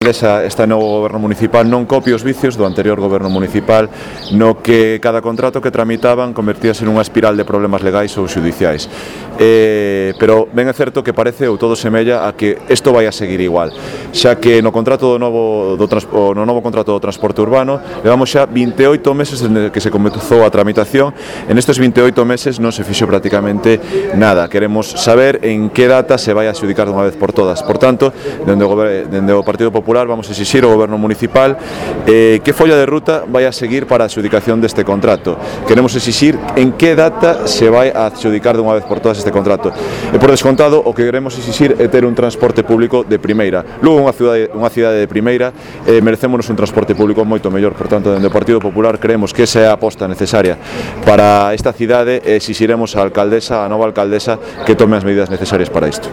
Este novo goberno municipal non copia os vicios do anterior goberno municipal, no que cada contrato que tramitaban convertíase nunha espiral de problemas legais ou xudiciais. Pero ben é certo que parece ou todo semella a que isto vai a seguir igual, xa que no novo contrato do transporte urbano levamos xa 28 meses desde que se comezou a tramitación. En estes 28 meses non se fixo prácticamente nada. Queremos saber en que data se vai a adxudicar dunha vez por todas. Por tanto, dende o Partido Popular vamos a exixir ao goberno municipal que folla de ruta vai a seguir para a adxudicación deste contrato. Queremos exixir en que data se vai a adxudicar dunha vez por todas este contrato. E por descontado, o que queremos exixir é ter un transporte público de primeira. Lugo, unha cidade de primeira, merecémonos un transporte público moito mellor. Por tanto, dende o Partido Popular creemos que esa é a aposta necesaria para esta cidade e exixiremos á nova alcaldesa que tome as medidas necesarias para isto.